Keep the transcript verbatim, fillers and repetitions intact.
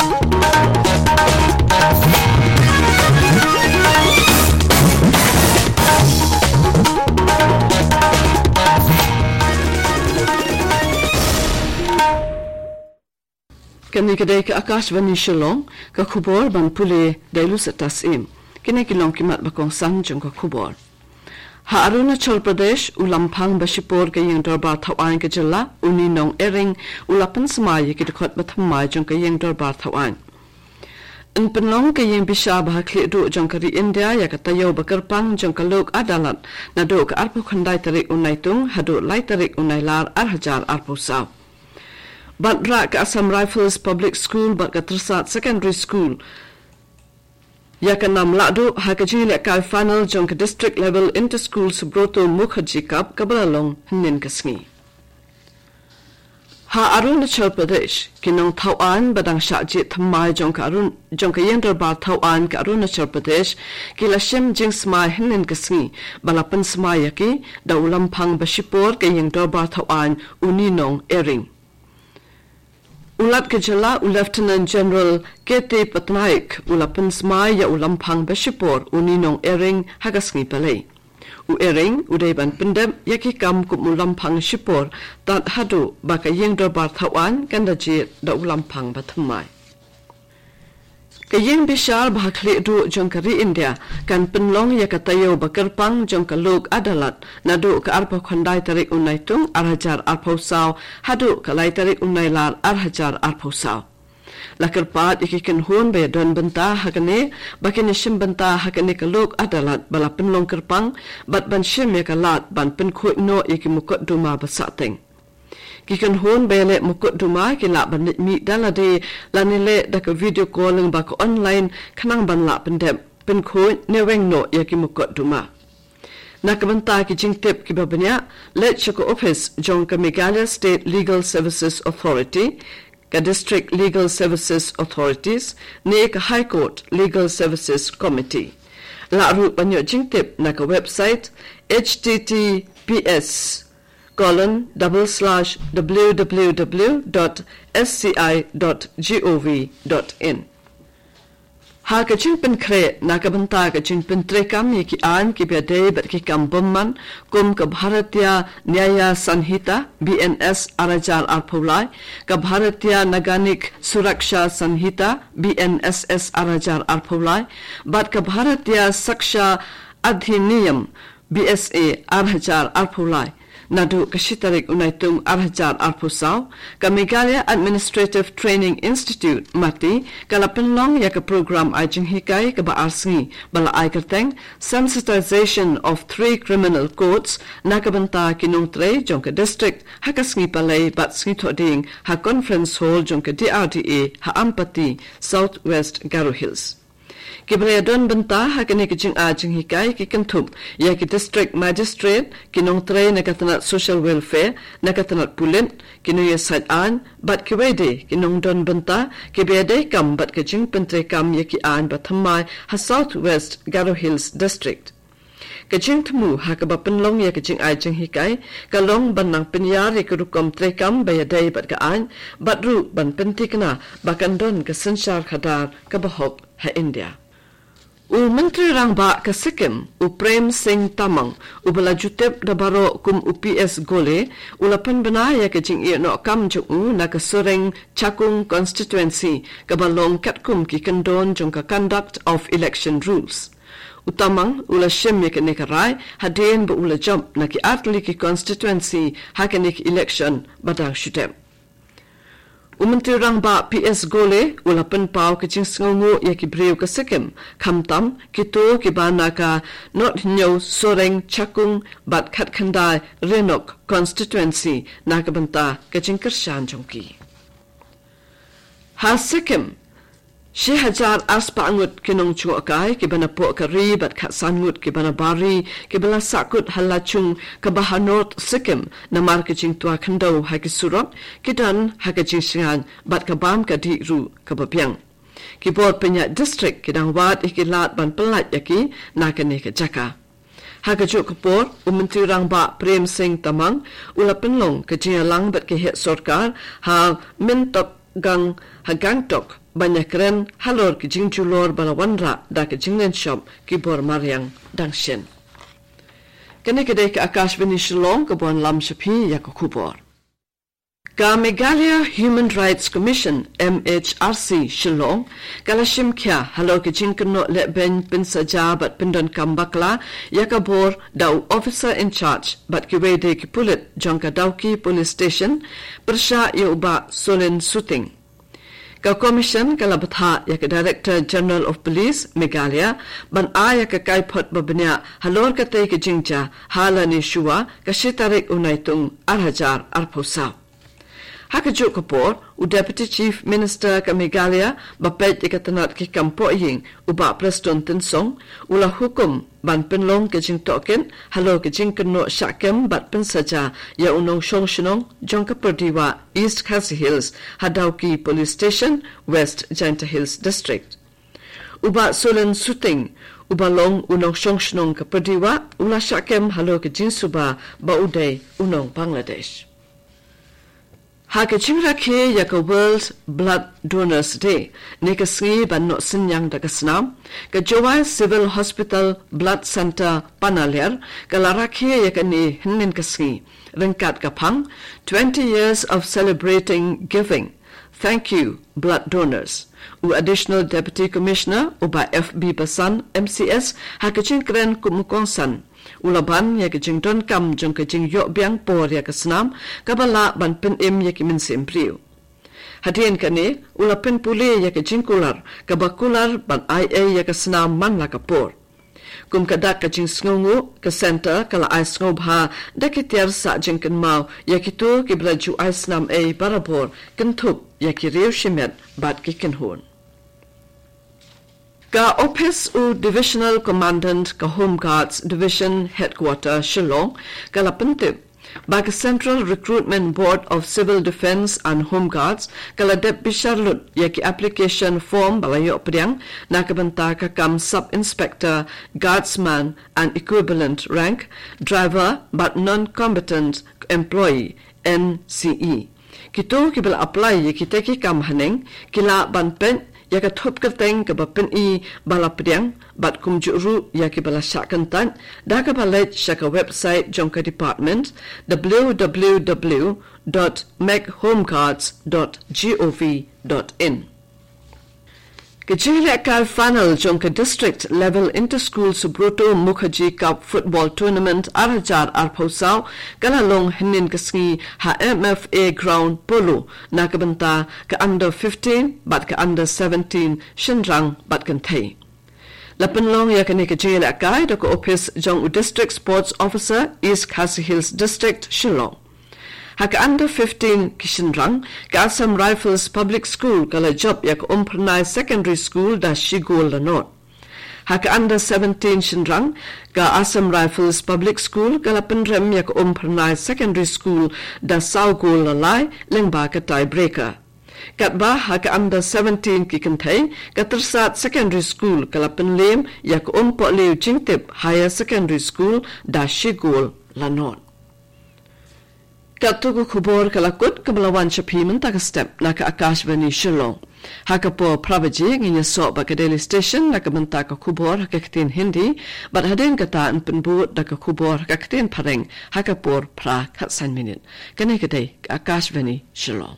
Kane ka dei ka Akashvani Shillong, ka khubor ban pule da i Lucy Tasim. Kine ki long ki mat ba kongsan jong ka khubor. Ha Arunachal Pradesh, u lamphang ba shipor ka ïing dorbar thaw aiñ ka jylla, u Ninong Ering, u la pynsmai ïa ki dkhot ba thymmai jong ka ïing dorbar thaw aiñ. Yn pynlong ka ïing bishar ba ha khlieh duh jong ka ri India ïa ka taïew ba kyrpang jong ka Lok Adalat, naduh ka arphew khyndai tarik u Naitung haduh lai tarik u Nailar ar hajar arphew saw. Bad rah ka Assam Rifles Public School bad ka Tyrsad Secondary School ïa ka nam lahduh ha ka jingïalehkai final jong ka District Level Inter-School Subrata Mukherjee Cup kaba la long hynnin ka sngi. Ha Arunachal Pradesh, ki nongthaw aiñ ba dang shah jied thymmai jong ka Arun, jong ka ïing dorbar thaw aiñ ka Arunachal Pradesh, ki la shim jingsmai hynnin ka sngi, ba la pynsmai ïa ki da u lamphang ba shipor ka ïing dorbar thaw aiñ u Ninong Ering. U Lat ka jylla, u Lieutenant General K T Patnaik, u la pynsmai ïa u lamphang ba shipor u Ninong Ering ha ka sngi Palei. U Ering u dei ban pyndep ïa ki kam kum u lamphang shipor tad haduh ba ka ïing dorbar thaw aiñ kan da jied da u lamphang ba thymmai. Ka ïing bishar ba ha khlieh duh jong ka ri India kan pynlong ïa ka taïew ba kyrpang jong ka Lok Adalat naduh ka arphew khyndai tarik u Naitung ar hajar arphew saw haduh ka lai tarik u Nailar ar hajar arphew saw. La kyrpad ïa ki kynhun ba ïa don bynta ha kane, ba kin ïa shim bynta ha kane ka Lok Adalat ba la pynlong kyrpang, bad ban shim ïa ka lad ban pynkhuid noh ïa ki mukotduma ba sahteng. Ki kynhun ba ïaleh mukotduma ki lah ban leit mih da lade lane leh da ka video call lyngba ka online khnang ban lah pyndep, pynkhuid ne weng noh ïa ki mukotduma. Na ka bynta ki jingtip kiba bniah, leit sha ka ophis jong ka Meghalaya State Legal Services Authority, ka District Legal Services Authorities, ne ka High Court Legal Services Committee. Lah ruh ban ïoh jingtip na ka website H T T P S colon double slash W W W dot S C I dot gov dot in. Ha ka jingpynkhreh na ka bynta ka jingpyntreikam ïa ki aiñ kiba ïadei bad ki kam bymman, kum ka Bharatiya Nyaya Sanhita, B N S, ar hajar arphew lai, ka Bharatiya Naganik Suraksha Sanhita, B N S S, ar hajar arphew lai, bad ka Bharatiya Sakshya Adhiniyam, B S A, ar hajar arphew lai. Naduh ka shi tarik u Naitung ar hajar arphew saw, ka Meghalaya Administrative Training Institute, MATI, ka la pynlong ïa ka program ai jinghikai kaba ar sngi, ba la ai kyrteng Sensitization of Three Criminal Codes, na ka bynta ki nongtrei jong ka district, ha ka sngi Palei bad sngi Thohdieng, ha Conference Hall jong ka D R D A, ha Ampati, South West Garo Hills. Kiba la ïa don bynta ha kane ka jingai jinghikai ki kynthup ïa ki District Magistrate, ki nongtrei na ka tnat Social Welfare, na ka tnat Pulit, ki nongïasaid aiñ, bad kiwei de ki nongdon bynta kiba ïadei kam bad ka jingpyntreikam ïa ki aiñ ba thymmai ha South West Garo Hills District. Ka jingthmu ha kaba pynlong ïa ka jingai jinghikai ka long ban nang pynïar ïa ka rukom treikam ba ïadei bad ka aiñ, bad ruh ban pynthikna ba kan don ka synshar khadar kaba hok ha India. U Myntri Rangbah ka Sikkim, u Prem Singh Tamang, uba la ju tip da baroh kum u P S Gole, u la pynbna ïa ka jingïehnoh kam jong u na ka Soreng Chakung Constituency, kaba long katkum ki kyndon jong ka Conduct of Election Rules. U Tamang u la shim ïa kane ka rai hadien ba u la jop na ki artylli ki constituency ha kane ka election ba dang shu dep. U Myntri Rangbah P S Gole u la pynpaw ka jingsngewnguh ïa ki briew ka Sikkim, khamtam kito kiba na ka North Hynñiew Soreng Chakung bad Khatkhyndai Rhenok constituency na ka bynta ka jingkyrshan jong ki. Ha Sikkim, shi hajar arspah ngut ki nongjngohkai kiba na poh ka ri bad khatsan ngut kiba na bar ri kiba la sahkut ha Lachung kaba ha North Sikkim namar ka jingtwa khyndew ha ki surok, ki don ha ka jingshngaiñ bad ka bam ka dih ruh kaba biang. Ki bor pynïaid district ki dang wad ïa ki lad ban pyllait ïa ki na kane ka jaka. Ha kajuh ka por, u Myntri Rangbah Prem Singh Tamang u la pynlong ka jingïalang bad ki heh sorkar ha Myntapgang ha Gangtok, ban ïakren halor ki jingjulor ba la wanrah da ka jinglynshop ki bor mariang dang shen. Kane ka dei ka Akashvani Shillong kaba wanlam sha phi ïa ka khubor. Ka Meghalaya Human Rights Commission, M H R C, Shillong, ka la shim khia halor ka jingkynnoh lehbeiñ pynsaja bad pyndonkam bakla ïa ka bor da u officer in charge bad kiwei de ki pulit jong ka Dawki Police Station, pyrshah ïa u Bah Solin Suting. Ka Commission ka la bthah ïa ka Director General of Police, Meghalaya, ban ai ïa ka kaiphod ba bniah halor katei ka jingjia ha lane shuwa ka shi tarik u Naitung ar hajar arphew saw. Ha kajuh ka por, u Deputy Chief Minister ka Meghalaya ba peit ïa ka tnat ki kam pohïing, u Bah Prestone Tynsong, u la hukum ban pynlong ka jingtohkit halor ka jingkynnoh shah kem bad pynsaja ïa u nongshong shnong jong ka pyrdiwah East Khasi Hills ha Dawki Police Station, West Jaintia Hills District. U Bah Solin Suting, uba long u nongshong shnong ka pyrdiwah, u la shah kem halor ka jingsuba ba u dei u nong Bangladesh. Ha ka jingrakhe ïa ka World Blood Donors Day, ne ka sngi ban noh synñiang da ka snam, ka Jowai Civil Hospital Blood Centre Panaliar ka la rakhe ïa kane hynnin ka sngi ryngkat ka phang, Twenty Years of Celebrating Giving. Thank you, blood donors. U Additional Deputy Commissioner, u Bah F B Basan, M C S, ha ka jingkren kum u kongsan, u la ban ïa ka jingdonkam jong ka jingïoh biang por ïa ka snam, kaba lah ban pynim ïa ki mynsiem briew. Hadien kane, u la pynpule ïa ka jingkular kaba kular ban ai ei ïa ka snam man la ka por. Kum ka dak ka jingsngewnguh, ka Centre ka la ai sngewbha da ki tiar sah jingkynmaw ïa kito kiba la ju ai snam ei barabor, kynthup ïa ki riew shimet bad ki kynhun. Ka ophis u Divisional Commandant ka Home Guards Division Headquarter Shillong ka la pyntip ba ka Central Recruitment Board of Civil Defence and Home Guards ka la dep bishar lut ïa ki application form ba la ïoh pdiang na ka bynta ka kam Sub Inspector, Guardsman and equivalent rank, driver bad non-combatant employee, N C E. Kito kiba la apply ïa kita ki kam haneng ki lah ban peit ïa ka thup kyrteng kaba pyni ba la pdiang bad kumjuh ruh ïa kiba la shah kyntait da kaba leit sha ka website jong ka department, www dot meghomeguards dot gov dot in. Ka jingïalehkai final jong ka District Level Inter-School Subroto Mukherjee Cup Football Tournament ar hajar arphew saw ka la long hynnin ka sngi ha M F A Ground Polo na ka bynta ka under fifteen bad ka under seventeen shynrang bad kynthei. La pynlong ïa kane ka jingïalehkai da ka ophis jong u District Sports Officer, East Khasi Hills District, Shillong. Ha ka under fifteen ki shynrang, ka Assam Rifles Public School ka la jop ïa ka Umphyrnai Secondary School da shi gol la nod. Ha ka under seventeen shynrang, ka Assam Rifles Public School ka la pynrem ïa ka Umphyrnai Secondary School da saw gol la lai lyngba ka tiebreaker. Katba ha ka under seventeen ki kynthei, ka Tyrsad Secondary School ka la pynlem ïa ka Umpohliew Jingtip Higher Secondary School da shi gol la nod. Katto ka khubor ka la kut, kaba la wan sha phi mynta ka step na ka Akashvani Shillong. Ha ka por phra baje ngin ïasoh bad ka Delhi Station na ka bynta ka khubor ha ka ktien Hindi, bad hadien kata yn pynbud da ka khubor ha ka ktien Phareng ha ka por phra khatsan minit. Kane ka dei ka Akashvani Shillong.